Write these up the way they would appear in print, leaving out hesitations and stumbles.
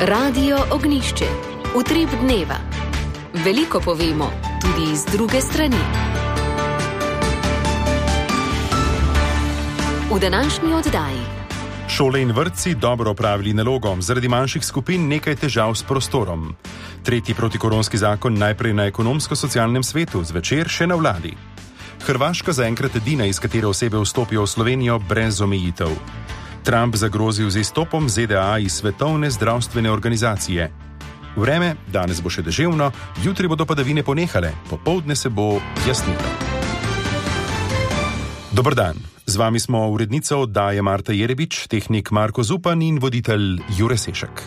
Radio Ognjišče. Utrip dneva. Veliko povemo, tudi iz druge strani. V današnji oddaji. Šole in vrtci dobro opravili nalogo, zaradi manjših skupin nekaj težav s prostorom. Tretji protikoronski zakon najprej na ekonomsko-socialnem svetu, zvečer še na vladi. Hrvaška zaenkrat edina, iz katere osebe vstopijo v Slovenijo brez omejitev. Trump zagrozil z izstopom ZDA iz Svetovne zdravstvene organizacije. Vreme, danes bo še deževno, jutri bodo padavine ponehale, popoldne se bo jasnilo. Dober dan, z vami smo urednica oddaje Marta Jerebič, tehnik Marko Zupan in voditelj Jure Sešek.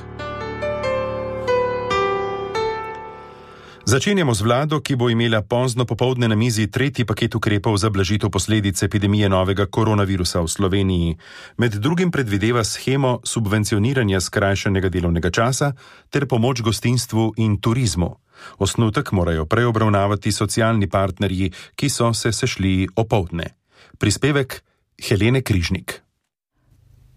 Začenjamo z vlado, ki bo imela pozno popoldne na mizi tretji paket ukrepov za blažitev posledic epidemije novega koronavirusa v Sloveniji. Med drugim predvideva shemo subvencioniranja skrajšanega delovnega časa ter pomoč gostinstvu in turizmu. Osnutek morajo prej obravnavati socialni partnerji, ki so se sešli opoldne. Prispevek Helene Križnik.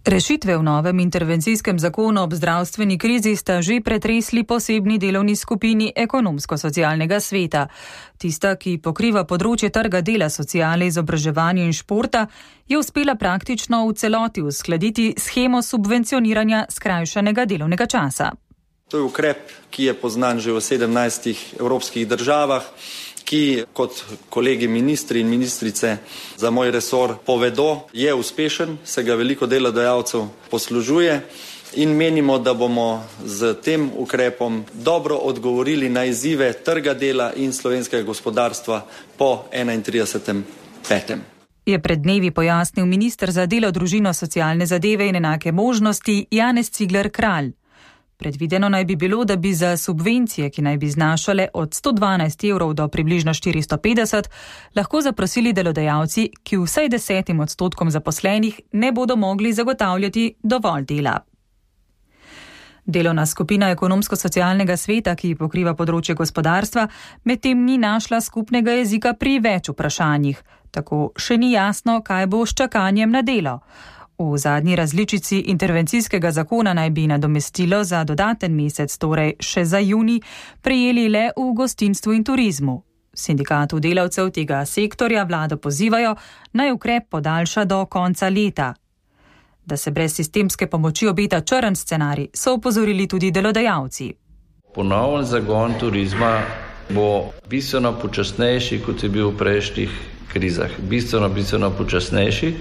Rešitve v novem intervencijskem zakonu ob zdravstveni krizi sta že pretresli posebni delovni skupini ekonomsko-socialnega sveta. Tista, ki pokriva področje trga dela, sociale, izobraževanja in športa, je uspela praktično v celoti uskladiti shemo subvencioniranja skrajšanega delovnega časa. To je ukrep, ki je poznan že v 17 evropskih državah, ki, kot kolegi ministri in ministrice za moj resor povedo, je uspešen, se ga veliko delodajalcev poslužuje in menimo, da bomo z tem ukrepom dobro odgovorili na izzive trga dela in slovenskega gospodarstva po 31.5. Je pred dnevi pojasnil minister za delo, družino, socialne zadeve in enake možnosti Janez Cigler Kralj. Predvideno naj bi bilo, da bi za subvencije, ki naj bi znašale od 112 evrov do približno 450, lahko zaprosili delodajalci, ki vsaj 10% zaposlenih ne bodo mogli zagotavljati dovolj dela. Delovna skupina ekonomsko-socialnega sveta, ki pokriva področje gospodarstva, medtem ni našla skupnega jezika pri več vprašanjih. Tako še ni jasno, kaj bo s čakanjem na delo. V zadnji različici intervencijskega zakona naj bi nadomestilo za dodaten mesec, torej še za junij, prejeli le v gostinstvu in turizmu. Sindikatu delavcev tega sektorja vlado pozivajo, naj ukrep podaljša do konca leta. Da se brez sistemske pomoči obeta črn scenarij, so opozorili tudi delodajalci. Ponoven zagon turizma bo bistveno počasnejši, kot je bil v prejšnjih krizah. Bistveno počasnejši.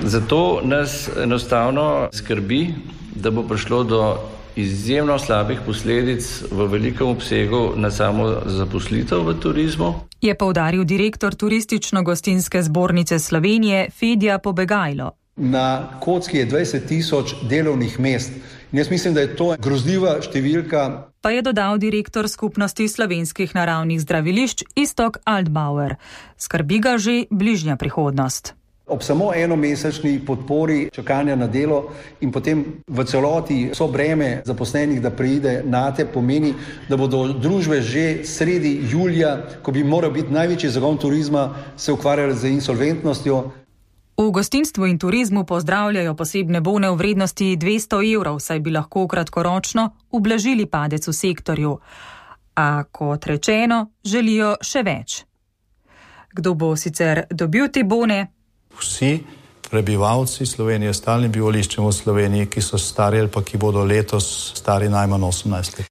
Zato nas enostavno skrbi, da bo prišlo do izjemno slabih posledic v velikem obsegu na samo zaposlitev v turizmu. Je poudaril direktor Turistično-gostinske zbornice Slovenije Fedja Pobegajlo. Na kocki je 20.000 delovnih mest. In jaz mislim, da je to grozljiva številka. Pa je dodal direktor Skupnosti slovenskih naravnih zdravilišč Iztok Altbauer. Skrbi ga že bližnja prihodnost. Ob samo enomesečni podpori čakanja na delo in potem v celoti so breme zaposlenih, da preide nate, pomeni, da bodo družbe že sredi julija, ko bi moral biti največji zagon turizma, se ukvarjali z insolventnostjo. V gostinstvu in turizmu pozdravljajo posebne bone v vrednosti 200 evrov, saj bi lahko kratkoročno ublažili padec v sektorju. A kot rečeno, želijo še več. Kdo bo sicer dobil te bone? Vsi prebivalci Slovenije, stalnim bivališčem v Sloveniji, ki so stari ali pa ki bodo letos stari najmanj 18 let.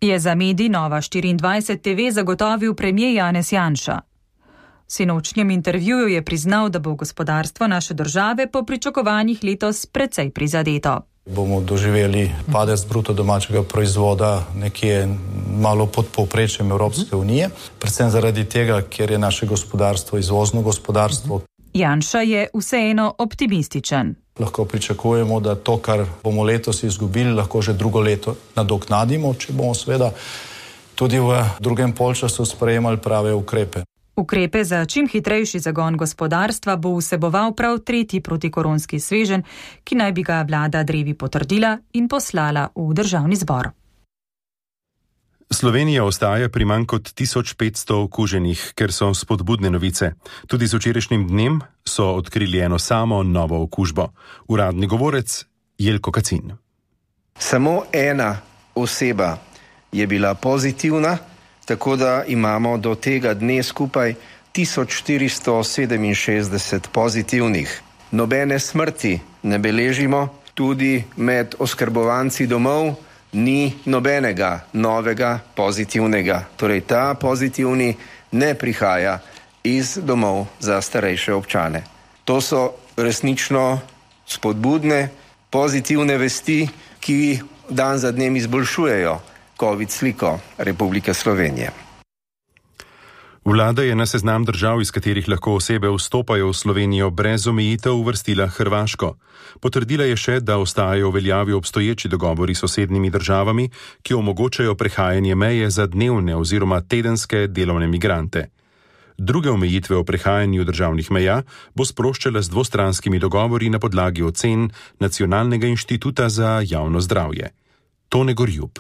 Je za medij Nova 24 TV zagotovil premier Janez Janša. V sinočnjem intervjuju je priznal, da bo gospodarstvo naše države po pričakovanjih letos precej prizadeto. Bomo doživeli padec bruto domačega proizvoda nekje malo pod povprečjem Evropske unije, predvsem zaradi tega, ker je naše gospodarstvo izvozno gospodarstvo. Janša je vseeno optimističen. Lahko pričakujemo, da to, kar bomo letos izgubili, lahko že drugo leto nadoknadimo, če bomo seveda tudi v drugem polčasu sprejemali prave ukrepe. Ukrepe za čim hitrejši zagon gospodarstva bo vseboval prav tretji protikoronski sveženj, ki naj bi ga vlada drevi potrdila in poslala v državni zbor. Slovenija ostaja pri manj kot 1500 okuženih, ker so spodbudne novice. Tudi z včerajšnjim dnem so odkrili eno samo novo okužbo. Uradni govorec Jelko Kacin. Samo ena oseba je bila pozitivna, tako da imamo do tega dne skupaj 1467 pozitivnih. Nobene smrti ne beležimo, tudi med oskrbovanci domov ni nobenega novega pozitivnega. Torej ta pozitivni ne prihaja iz domov za starejše občane. To so resnično spodbudne, pozitivne vesti, ki dan za dnem izboljšujejo COVID sliko Republike Slovenije. Vlada je na seznam držav, iz katerih lahko osebe vstopajo v Slovenijo brez omejitev, uvrstila Hrvaško. Potrdila je še, da ostajajo v veljavi obstoječi dogovori s sosednjimi državami, ki omogočajo prehajanje meje za dnevne oziroma tedenske delovne migrante. Druge omejitve o prehajanju državnih meja bo sproščala z dvostranskimi dogovori na podlagi ocen Nacionalnega inštituta za javno zdravje. Tone Gorjub.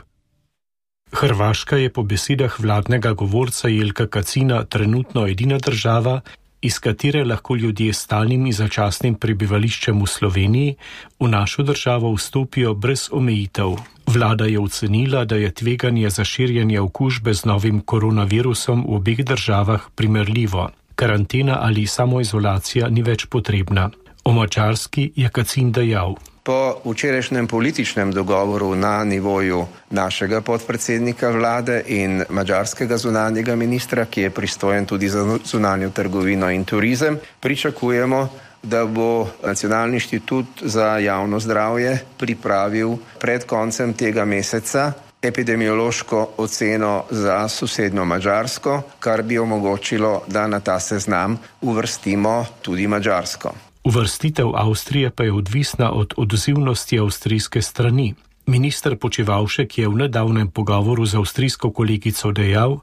Hrvaška je po besedah vladnega govorca Jelka Kacina trenutno edina država, iz katere lahko ljudje s stalnim in začasnim prebivališčem v Sloveniji v našo državo vstopijo brez omejitev. Vlada je ocenila, da je tveganje za širjenje okužbe z novim koronavirusom v obeh državah primerljivo. Karantena ali samoizolacija ni več potrebna. O Madžarski je Kacin dejal: Po včerajšnjem političnem dogovoru na nivoju našega podpredsednika vlade in madžarskega zunanjega ministra, ki je pristojen tudi za zunanjo trgovino in turizem, pričakujemo, da bo Nacionalni inštitut za javno zdravje pripravil pred koncem tega meseca epidemiološko oceno za sosednjo Madžarsko, kar bi omogočilo, da na ta seznam uvrstimo tudi Madžarsko. Uvrstitev Avstrije pa je odvisna od odzivnosti avstrijske strani. Minister Počivalšek je v nedavnem pogovoru z avstrijsko kolegico dejal,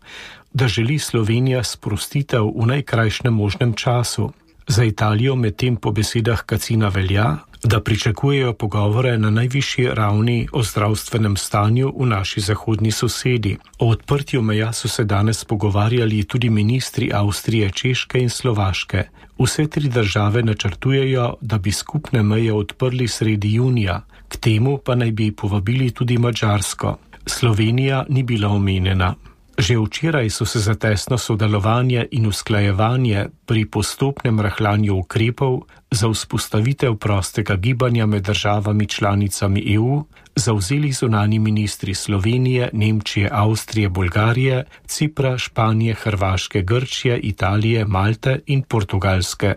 da želi Slovenija sprostitev v najkrajšnem možnem času. Za Italijo medtem po besedah Kacina velja, da pričakujejo pogovore na najvišji ravni o zdravstvenem stanju v naši zahodni sosedi. O odprtju meja so se danes pogovarjali tudi ministri Avstrije, Češke in Slovaške. Vse tri države načrtujejo, da bi skupne meje odprli sredi junija. K temu pa naj bi povabili tudi Madžarsko. Slovenija ni bila omenjena. Že včeraj so se za tesno sodelovanje in usklajevanje pri postopnem rahljanju ukrepov za vzpostavitev prostega gibanja med državami članicami EU zavzeli zunanji ministri Slovenije, Nemčije, Avstrije, Bolgarije, Cipra, Španije, Hrvaške, Grčije, Italije, Malte in Portugalske.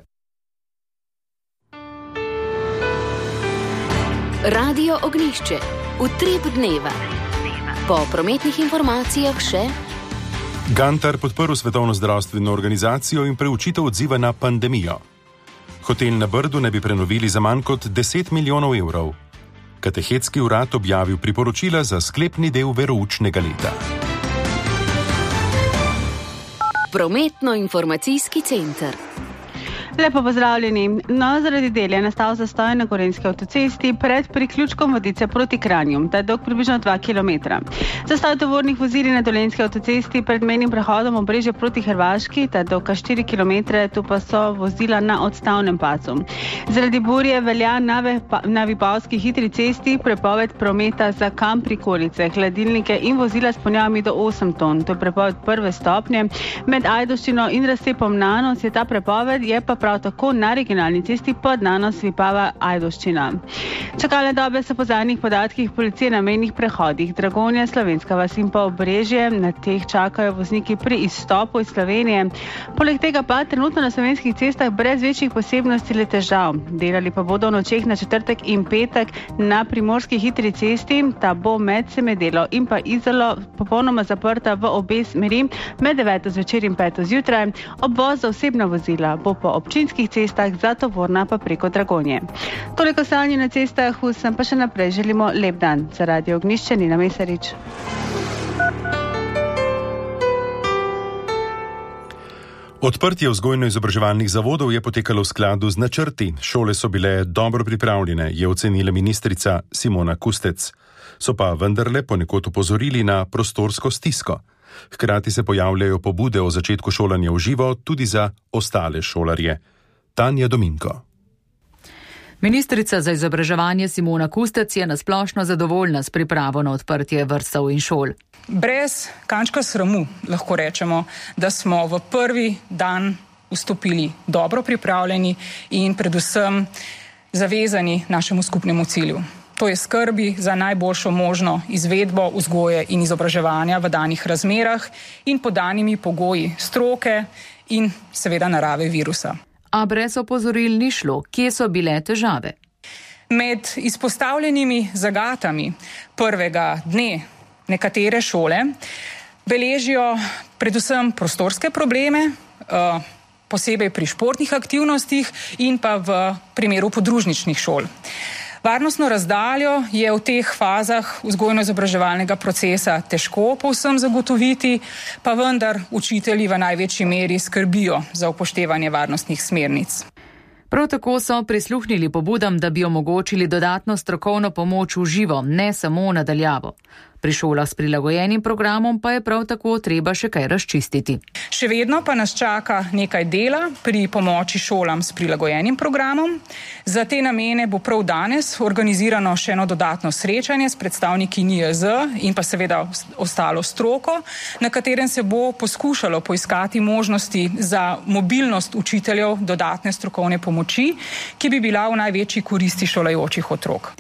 Radio Ognjišče. Utrip dneva. Po prometnih informacijah še Gantar podprl Svetovno zdravstveno organizacijo in preučitev odziva na pandemijo. Hotel na Brdu ne bi prenovili za manj kot 10 milijonov evrov. Katehetski urad objavil priporočila za sklepni del veroučnega leta. Prometno-informacijski center. Lepo pozdravljeni. No, zaradi del je nastal zastoj na Gorenjski avtocesti pred priključkom Vodice proti Kranju. Ta je dolg približno 2 km. Zastoj tovornih vozil na Dolenjski avtocesti pred mejnim prehodom Obrežje proti Hrvaški, ta je dolg 4 km, tu pa so vozila na odstavnem pasu. Zaradi burje velja na Vipavski hitri cesti prepoved prometa za kamp prikolice, hladilnike in vozila s ponjavami do 8 ton. To je prepoved prve stopnje. Med Ajdovščino in razcepom Nanos je ta prepoved, je pa prav tako na regionalni cesti pod Nanos Vipava Ajdovščina. Čakalne dobe so po zadnjih podatkih policije na mejnih prehodih Dragonja, Slovenska vas in pa Obrežje. Na teh čakajo vozniki pri izstopu iz Slovenije. Poleg tega pa trenutno na slovenskih cestah brez večjih posebnosti le težav. Delali pa bodo v nočeh na četrtek in petek na primorski hitri cesti. Ta bo med Semedelo in pa Izolo popolnoma zaprta v obe smeri med 9. zvečer in 5. zjutraj. Obvoz za osebna vozila bo po občinskih cestah, za tovorna pa preko Dragonje. Toliko stanje na cestah, vsem pa še naprej želimo lep dan. Za Radio Ognjišče, Nina Mesarič. Odprtje vzgojno-izobraževalnih zavodov je potekalo v skladu z načrti. Šole so bile dobro pripravljene, je ocenila ministrica Simona Kustec. So pa vendarle ponekod opozorili na prostorsko stisko. Hkrati se pojavljajo pobude o začetku šolanja v živo tudi za ostale šolarje. Tanja Dominko. Ministrica za izobraževanje Simona Kustec je nasplošno zadovoljna s pripravo na odprtje vrtcev in šol. Brez kančka sramu lahko rečemo, da smo v prvi dan vstopili dobro pripravljeni in predvsem zavezani našemu skupnemu cilju. To je skrbi za najboljšo možno izvedbo vzgoje in izobraževanja v danih razmerah in pod danimi pogoji stroke in seveda narave virusa. A brez opozoril ni šlo, kje so bile težave. Med izpostavljenimi zagatami prvega dne nekatere šole beležijo predvsem prostorske probleme, posebej pri športnih aktivnostih in pa v primeru podružničnih šol. Varnostno razdaljo je v teh fazah vzgojno-izobraževalnega procesa težko povsem zagotoviti, pa vendar učitelji v največji meri skrbijo za upoštevanje varnostnih smernic. Prav tako so prisluhnili pobudam, da bi omogočili dodatno strokovno pomoč v živo, ne samo nadaljavo. Pri šolah s prilagojenim programom pa je prav tako treba še kaj razčistiti. Še vedno pa nas čaka nekaj dela pri pomoči šolam s prilagojenim programom. Za te namene bo prav danes organizirano še eno dodatno srečanje s predstavniki NIJZ in pa seveda ostalo stroko, na katerem se bo poskušalo poiskati možnosti za mobilnost učiteljev dodatne strokovne pomoči, ki bi bila v največji koristi šolajočih otrok.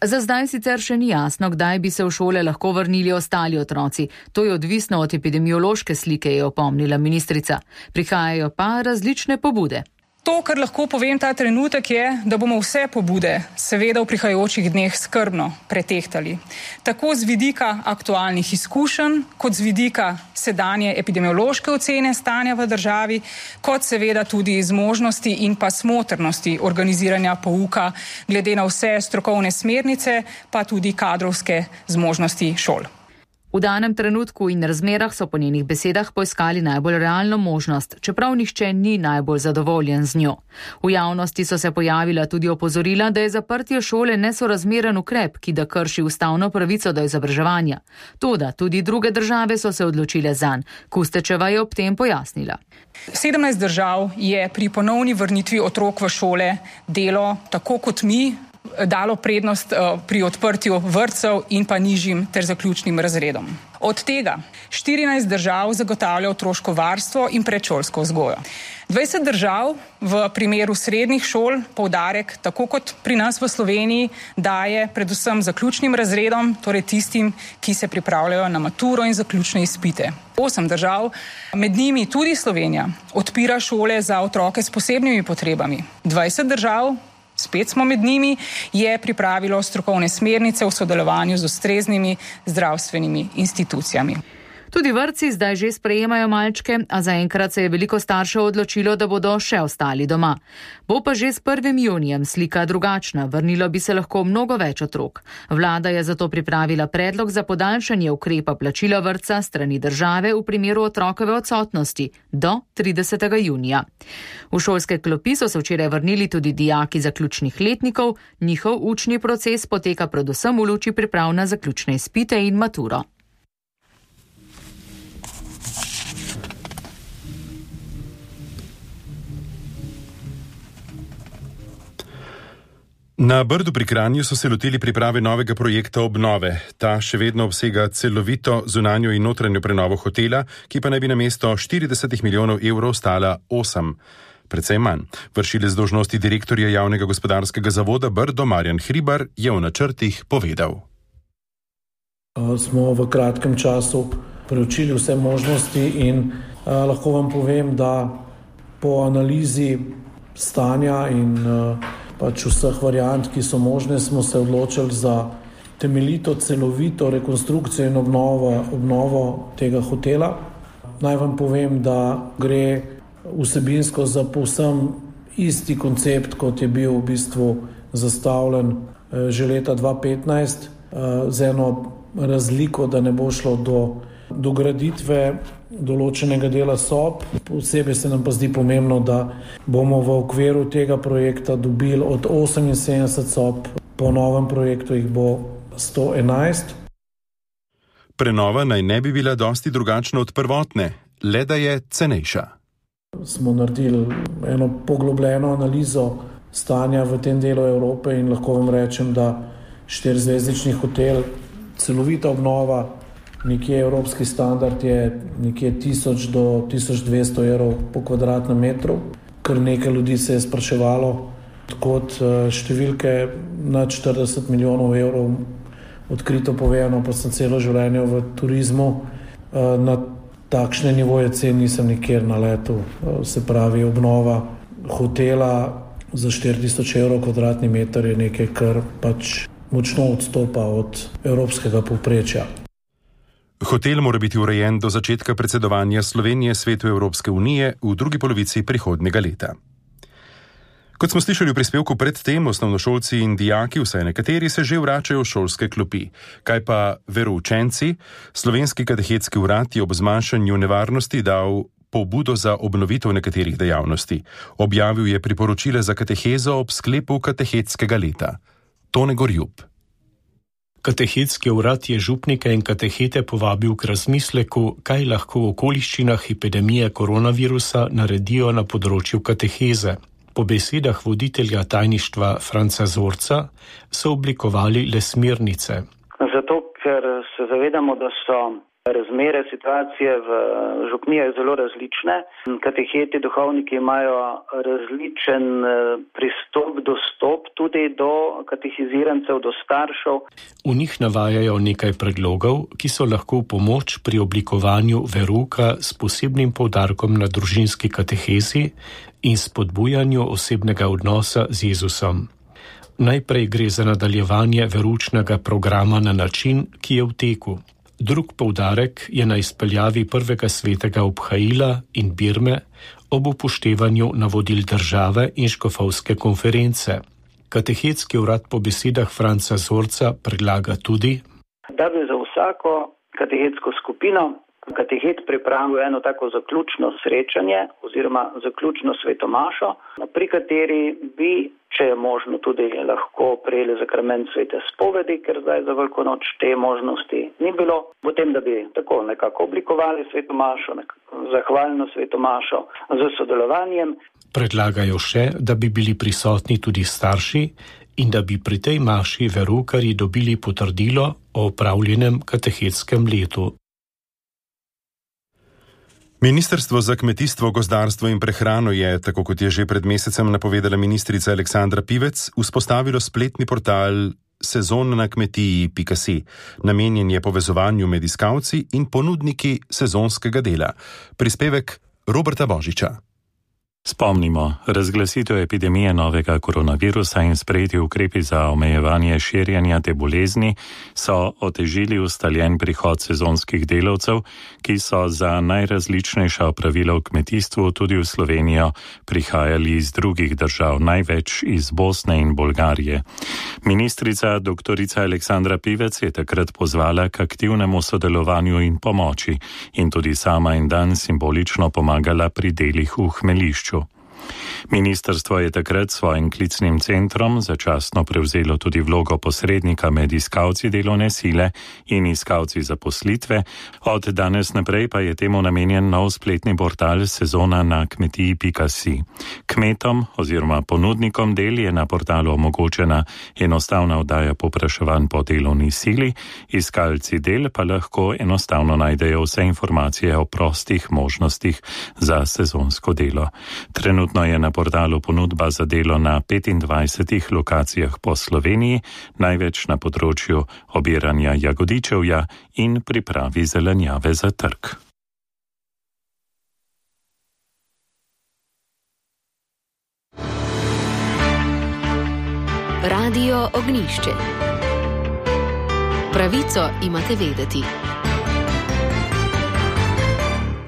Za zdaj sicer še ni jasno, kdaj bi se v šole lahko vrnili ostali otroci. To je odvisno od epidemiološke slike, je opomnila ministrica. Prihajajo pa različne pobude. To, kar lahko povem ta trenutek, je, da bomo vse pobude seveda v prihajajočih dneh skrbno pretehtali. Tako z vidika aktualnih izkušenj, kot z vidika sedanje epidemiološke ocene stanja v državi, kot seveda tudi z možnosti in pa smotrnosti organiziranja pouka glede na vse strokovne smernice, pa tudi kadrovske zmožnosti šol. V danem trenutku in razmerah so po njenih besedah poiskali najbolj realno možnost, čeprav nihče ni najbolj zadovoljen z njo. V javnosti so se pojavila tudi opozorila, da je zaprtje šole nesorazmeren ukrep, ki da krši ustavno pravico do izobraževanja. Toda tudi druge države so se odločile zanj. Kustečeva je ob tem pojasnila. 17 držav je pri ponovni vrnitvi otrok v šole delo, tako kot mi, dalo prednost pri odprtju vrtcev in pa nižjim ter zaključnim razredom. Od tega 14 držav zagotavlja otroško varstvo in predšolsko vzgojo. 20 držav v primeru srednjih šol poudarek, tako kot pri nas v Sloveniji, daje predvsem zaključnim razredom, torej tistim, ki se pripravljajo na maturo in zaključne izpite. 8 držav, med njimi tudi Slovenija, odpira šole za otroke s posebnimi potrebami. 20 držav, spet smo med njimi, je pripravilo strokovne smernice v sodelovanju z ustreznimi zdravstvenimi institucijami. Tudi vrtci zdaj že sprejemajo malčke, a zaenkrat se je veliko staršev odločilo, da bodo še ostali doma. Bo pa že s 1. junijem slika drugačna, vrnilo bi se lahko mnogo več otrok. Vlada je zato pripravila predlog za podaljšanje ukrepa plačila vrtca strani države v primeru otrokove odsotnosti do 30. junija. V šolske klopi so se včeraj vrnili tudi dijaki zaključnih letnikov, njihov učni proces poteka predvsem v luči priprav na zaključne izpite in maturo. Na Brdu pri Kranju so se lotili priprave novega projekta obnove. Ta še vedno obsega celovito zunanjo in notranjo prenovo hotela, ki pa naj bi namesto 40 milijonov evrov stala 8. Precej manj. Vršilec dolžnosti direktorja javnega gospodarskega zavoda Brdo Marjan Hribar je v načrtih povedal. Smo v kratkem času preučili vse možnosti in lahko vam povem, da po analizi stanja in pač vseh variant, ki so možne, smo se odločili za temeljito, celovito rekonstrukcijo in obnovo tega hotela. Naj vam povem, da gre vsebinsko za povsem isti koncept, kot je bil v bistvu zastavljen že leta 2015, z eno razliko, da ne bo šlo do graditve določenega dela sob. Posebej se nam pa zdi pomembno, da bomo v okviru tega projekta dobili od 78 sob, po novem projektu jih bo 111. Prenova naj ne bi bila dosti drugačna od prvotne, le da je cenejša. Smo naredili eno poglobljeno analizo stanja v tem delu Evrope in lahko vam rečem, da 4-zvezdični hotel, celovita obnova, nekje evropski standard je nekje 1000 do 1200 evrov po kvadratnem metru. Kar nekaj ljudi se je spraševalo, kot številke nad 40 milijonov evrov, odkrito povedano, pa sem celo življenje v turizmu, na takšne nivoje cen nisem nikjer naletel. Se pravi, obnova hotela za 4000 evrov kvadratni meter je nekaj, kar pač močno odstopa od evropskega povprečja. Hotel mora biti urejen do začetka predsedovanja Slovenije Svetu Evropske unije v drugi polovici prihodnjega leta. Kot smo slišali v prispevku predtem, osnovnošolci in dijaki, vsaj nekateri, se že vračajo v šolske klopi. Kaj pa veroučenci? Slovenski katehetski urad je ob zmanjšanju nevarnosti dal pobudo za obnovitev nekaterih dejavnosti. Objavil je priporočila za katehezo ob sklepu katehetskega leta. Tone Gorjub. Katehetski urad je župnike in katehete povabil k razmisleku, kaj lahko v okoliščinah epidemije koronavirusa naredijo na področju kateheze. Po besedah voditelja tajništva Franca Zorca so oblikovali le smernice. Zato, ker se zavedamo, da so razmere, situacije v župnijah zelo različne. Kateheti, duhovniki imajo različen pristop, dostop tudi do katehizirancev, do staršev. V njih navajajo nekaj predlogov, ki so lahko pomoč pri oblikovanju verouka s posebnim poudarkom na družinski katehezi in spodbujanju osebnega odnosa z Jezusom. Najprej gre za nadaljevanje veroučnega programa na način, ki je v teku. Drug poudarek je na izpeljavi prvega svetega obhajila in birme ob upoštevanju navodil države in škofovske konference. Katehetski urad po besedah Franca Zorca predlaga tudi, da bi za vsako katehetsko skupino katehet pripravil eno tako zaključno srečanje oziroma zaključno svetomašo, pri kateri bi, če je možno, tudi lahko prejeli zakrament svete spovedi, ker zdaj za Veliko noč te možnosti ni bilo. Potem, da bi tako nekako oblikovali svetomašo, zahvalno svetomašo z sodelovanjem. Predlagajo še, da bi bili prisotni tudi starši in da bi pri tej maši veroukarji dobili potrdilo o opravljenem katehetskem letu. Ministrstvo za kmetijstvo, gozdarstvo in prehrano je, tako kot je že pred mesecem napovedala ministrica Aleksandra Pivec, vzpostavilo spletni portal sezonnakmetiji.si. Namenjen je povezovanju med iskalci in ponudniki sezonskega dela. Prispevek Roberta Božiča. Spomnimo, razglasitev epidemije novega koronavirusa in sprejeti ukrepi za omejevanje širjenja te bolezni so otežili ustaljen prihod sezonskih delavcev, ki so za najrazličnejša opravila v kmetijstvu tudi v Slovenijo prihajali iz drugih držav, največ iz Bosne in Bolgarije. Ministrica dr. Aleksandra Pivec je takrat pozvala k aktivnemu sodelovanju in pomoči in tudi sama en dan simbolično pomagala pri delih v hmeljišču. Ministrstvo je takrat svojim klicnim centrom začasno prevzelo tudi vlogo posrednika med iskalci delovne sile in iskalci zaposlitve. Od danes naprej pa je temu namenjen nov spletni portal sezonnakmetiji.si. Kmetom oziroma ponudnikom del je na portalu omogočena enostavna oddaja povpraševanj po delovni sili, iskalci del pa lahko enostavno najdejo vse informacije o prostih možnostih za sezonsko delo. Trenutno je na portalu ponudba za delo na 25 lokacijah po Sloveniji, največ na področju obiranja jagodičevja in pripravi zelenjave za trg. Radio Ognjišče. Pravico imate vedeti.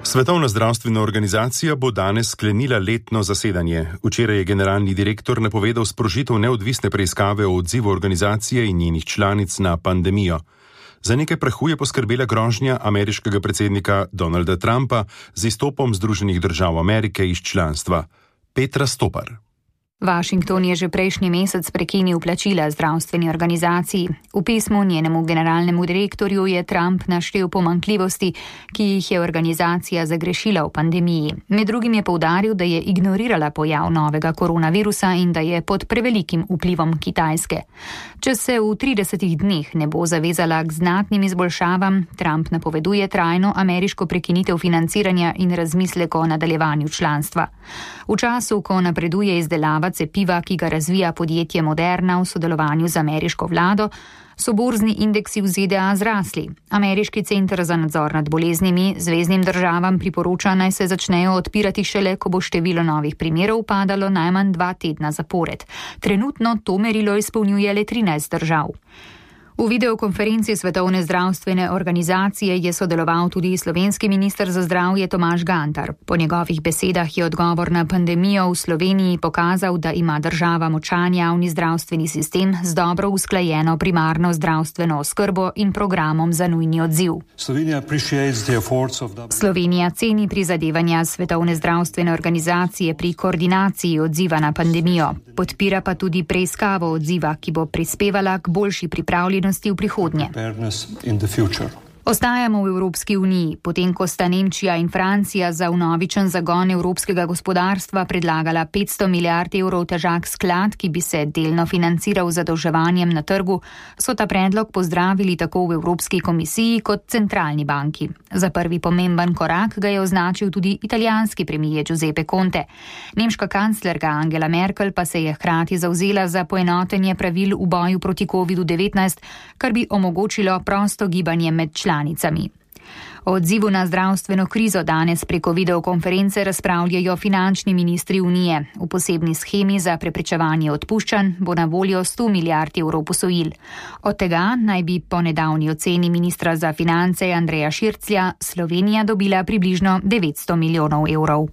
Svetovna zdravstvena organizacija bo danes sklenila letno zasedanje. Včeraj je generalni direktor napovedal sprožitev neodvisne preiskave o odzivu organizacije in njenih članic na pandemijo. Za nekaj prahu je poskrbela grožnja ameriškega predsednika Donalda Trumpa z izstopom Združenih držav Amerike iz članstva. Petra Stopar. Washington je že prejšnji mesec prekinil plačila zdravstveni organizaciji. V pismu njenemu generalnemu direktorju je Trump naštel pomanjkljivosti, ki jih je organizacija zagrešila v pandemiji. Med drugim je poudaril, da je ignorirala pojav novega koronavirusa in da je pod prevelikim vplivom Kitajske. Če se v 30 dneh ne bo zavezala k znatnim izboljšavam, Trump napoveduje trajno ameriško prekinitev financiranja in razmislek o nadaljevanju članstva. V času, ko napreduje izdelava cepiva, ki ga razvija podjetje Moderna v sodelovanju z ameriško vlado, so borzni indeksi v ZDA zrasli. Ameriški center za nadzor nad boleznimi zveznim državam priporoča, naj se začnejo odpirati šele, ko bo število novih primerov padalo najmanj 2 tedna zapored. Trenutno to merilo izpolnjuje le 13 držav. V videokonferenci Svetovne zdravstvene organizacije je sodeloval tudi slovenski minister za zdravje Tomaž Gantar. Po njegovih besedah je odgovor na pandemijo v Sloveniji pokazal, da ima država močan javni zdravstveni sistem z dobro usklajeno primarno zdravstveno oskrbo in programom za nujni odziv. Slovenija ceni prizadevanja Svetovne zdravstvene organizacije pri koordinaciji odziva na pandemijo. Podpira pa tudi preiskavo odziva, ki bo prispevala k boljši pripravljenosti v prihodnje. Ostajamo v Evropski uniji, potem ko sta Nemčija in Francija za vnovičen zagon evropskega gospodarstva predlagala 500 milijard evrov težak sklad, ki bi se delno financiral z zadolževanjem na trgu, so ta predlog pozdravili tako v Evropski komisiji kot centralni banki. Za prvi pomemben korak ga je označil tudi italijanski premier Giuseppe Conte. Nemška kanclerka Angela Merkel pa se je hkrati zavzela za poenotenje pravil v boju proti COVID-19, kar bi omogočilo prosto gibanje med članicami. O odzivu na zdravstveno krizo danes preko videokonference razpravljajo finančni ministri Unije. V posebni shemi za preprečevanje odpuščanj bo na voljo 100 milijard evrov posojil. Od tega naj bi po nedavni oceni ministra za finance Andreja Širclja Slovenija dobila približno 900 milijonov evrov.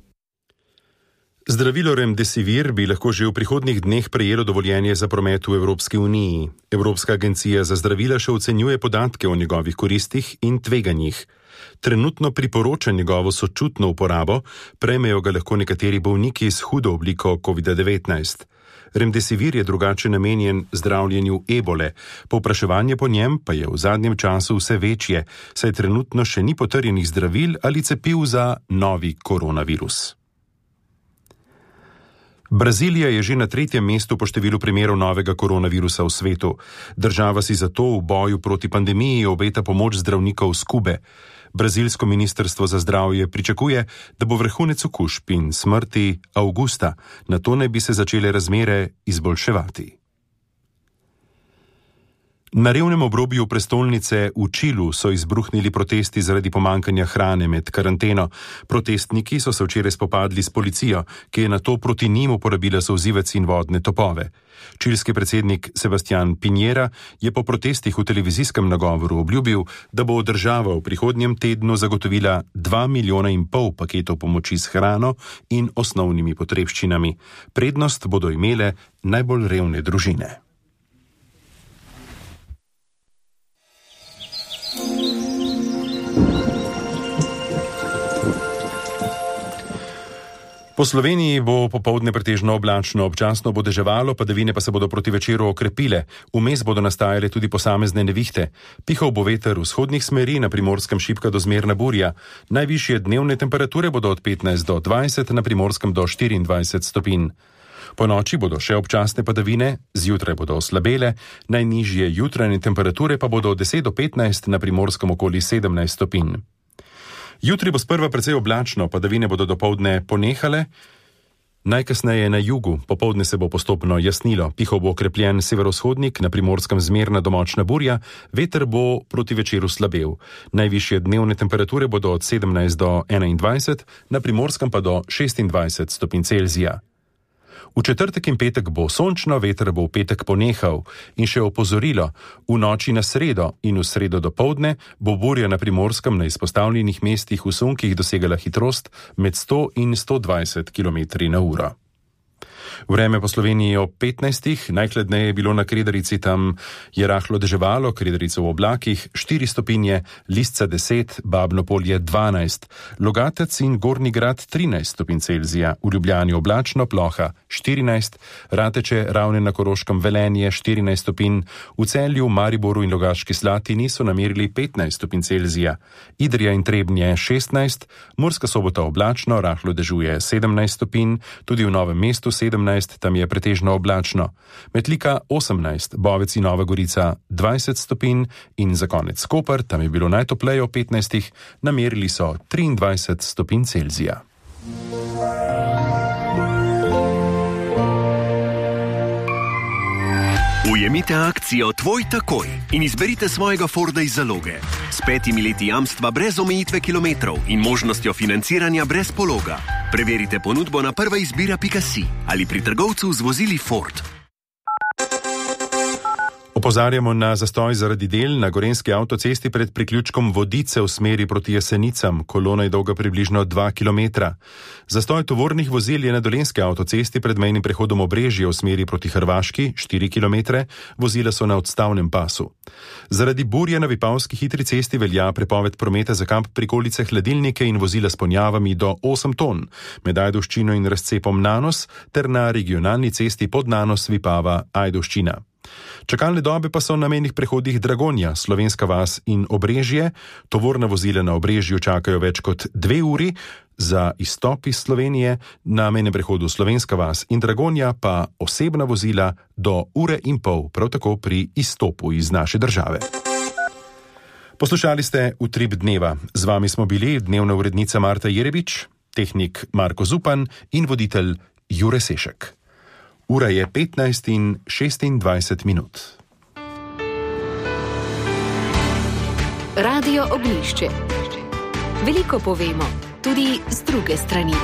Zdravilo Remdesivir bi lahko že v prihodnjih dneh prejelo dovoljenje za promet v Evropski uniji. Evropska agencija za zdravila še ocenjuje podatke o njegovih koristih in tveganjih. Trenutno priporoča njegovo sočutno uporabo, prejmejo ga lahko nekateri bolniki s hudo obliko COVID-19. Remdesivir je drugače namenjen zdravljenju ebole, povpraševanje po njem pa je v zadnjem času vse večje, saj trenutno še ni potrjenih zdravil ali cepiv za novi koronavirus. Brazilija je že na 3. mestu po številu primerov novega koronavirusa v svetu. Država si zato v boju proti pandemiji obeta pomoč zdravnikov z Kube. Brazilsko ministrstvo za zdravje pričakuje, da bo vrhunec okužb in smrti avgusta, nato naj bi se začele razmere izboljševati. Na revnem obrobju prestolnice v Čilu so izbruhnili protesti zaradi pomankanja hrane med karanteno. Protestniki so se včeraj spopadli s policijo, ki je nato proti njim uporabila solzivec in vodne topove. Čilski predsednik Sebastián Piñera je po protestih v televizijskem nagovoru obljubil, da bo država v prihodnjem tednu zagotovila 2,5 milijona paketov pomoči s hrano in osnovnimi potrebščinami. Prednost bodo imele najbolj revne družine. Po Sloveniji bo popoldne pretežno oblačno, občasno bo deževalo, padavine pa se bodo proti večeru okrepile. Vmes bodo nastajale tudi posamezne nevihte. Pihal bo veter vzhodnih smeri, na Primorskem šibka do zmerna burja. Najvišje dnevne temperature bodo od 15 do 20, na Primorskem do 24 stopinj. Po noči bodo še občasne padavine, zjutraj bodo oslabele, najnižje jutranje temperature pa bodo od 10 do 15, na Primorskem okoli 17 stopinj. Jutri bo sprva precej oblačno, padavine bodo dopoldne ponehale, najkasneje na jugu, popoldne se bo postopno jasnilo, pihal bo okrepljen severovzhodnik, na Primorskem zmerna do močna burja, veter bo proti večeru slabel. Najvišje dnevne temperature bodo od 17 do 21, na Primorskem pa do 26 stopinj Celzija. V četrtek in petek bo sončno, veter bo v petek ponehal. In še opozorilo, v noči na sredo in v sredo dopoldne bo burja na Primorskem na izpostavljenih mestih v sunkih dosegala hitrost med 100 in 120 km/h. Vreme po Sloveniji ob 15. Najhladneje je bilo na Kredarici, tam je rahlo deževalo, Kredarica v oblakih 4 stopinje, Lisca 10, Babno Polje 12, Logatec in Gornji Grad 13 stopinj Celzija, v Ljubljani oblačno, ploha 14, Rateče, Ravne na Koroškem, Velenje 14 stopinj, v Celju, Mariboru in Logaški Slatini so namerili 15 stopinj Celzija, Idrija in Trebnje 16, Murska Sobota oblačno, rahlo dežuje 17 stopinj, tudi v Novem mestu 17, tam je pretežno oblačno. Metlika 18, Bovec in Nova Gorica 20 stopinj in za konec Koper, tam je bilo najtopleje ob 15, namerili so 23 stopinj Celzija. Ujemite akcijo Tvoj takoj in izberite svojega Forda iz zaloge. S 5 leti jamstva brez omejitve kilometrov in možnostjo financiranja brez pologa. Preverite ponudbo na prvaizbira.si ali pri trgovcu z vozili Ford. Opozarjamo na zastoj zaradi del na gorenjski avtocesti pred priključkom Vodice v smeri proti Jesenicam. Kolona je dolga približno 2 km. Zastoj tovornih vozil je na dolenjski avtocesti pred mejnim prehodom Obrežje v smeri proti Hrvaški 4 km. Vozila so na odstavnem pasu. Zaradi burje na Vipavski hitri cesti velja prepoved prometa za kamp prikolice, hladilnike in vozila s ponjavami do 8 ton, med Ajdovščino in razcepom Nanos ter na regionalni cesti pod Nanos Vipava Ajdovščina. Čakalne dobe pa so na mejnih prehodih Dragonja, Slovenska vas in Obrežje. Tovorna vozila na Obrežju čakajo več kot 2 uri, za izstop iz Slovenije na mejnem prehodu Slovenska vas in Dragonja pa osebna vozila do 1,5 ure, prav tako pri izstopu iz naše države. Poslušali ste Utrip dneva. Z vami smo bili dnevna urednica Marta Jerebič, tehnik Marko Zupan in voditelj Jure Sešek. Ura je 15:26 minut. Radio Ognjišče. Veliko povemo, tudi z druge strani.